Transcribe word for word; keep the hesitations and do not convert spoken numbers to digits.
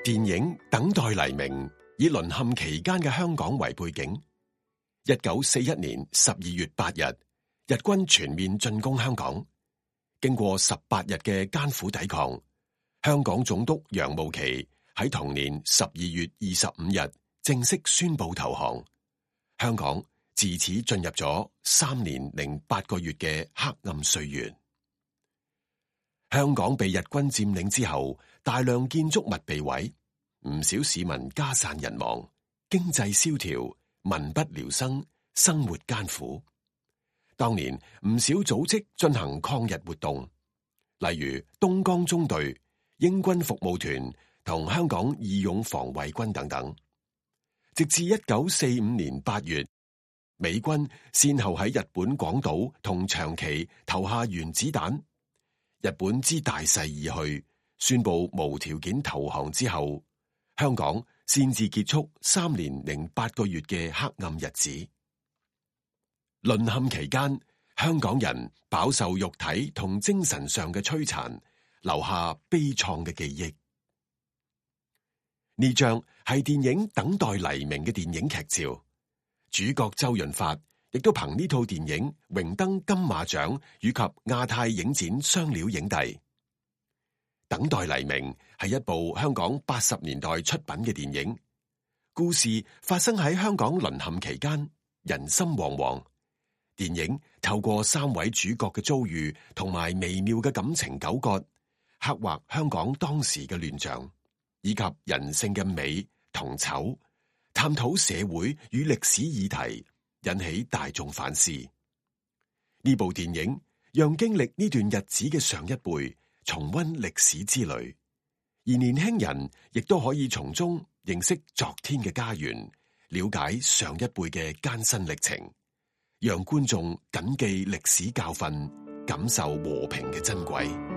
電影《等待黎明》以淪陷期間嘅香港為背景。一九四一年十二月八日，日軍全面進攻香港。經過十八日嘅艱苦抵抗，香港總督楊慕琦喺同年十二月二十五日正式宣布投降。香港自此進入咗三年零八個月嘅黑暗歲月。香港被日軍佔領之後，大量建築物被毀，唔少市民家散人亡，經濟蕭條，民不聊生，生活艱苦。當年唔少組織進行抗日活動，例如東江中隊、英軍服務團同香港義勇防衛軍等等。直至一九四五年八月，美軍先後喺日本廣島同長崎投下原子彈。日本知大勢而去，宣布無條件投降之後，香港先至結束三年零八個月嘅黑暗日子。淪陷期間，香港人飽受肉體同精神上嘅摧殘，留下悲愴嘅記憶。呢張係電影《等待黎明》嘅電影劇照，主角周潤發亦都憑呢套電影榮登金馬獎以及亞太影展雙料影帝。《等待黎明》係一部香港八十年代出品嘅電影，故事發生喺香港淪陷期間，人心惶惶。電影透過三位主角嘅遭遇同埋微妙嘅感情糾葛，刻畫香港當時嘅亂象，以及人性嘅美同醜，探討社會與歷史議題，引起大眾反思。呢部電影讓經歷呢段日子嘅上一輩重溫歷史之旅，而年輕人亦都可以從中認識昨天嘅家園，了解上一輩嘅艱辛歷程，讓觀眾謹記歷史教訓，感受和平嘅珍貴。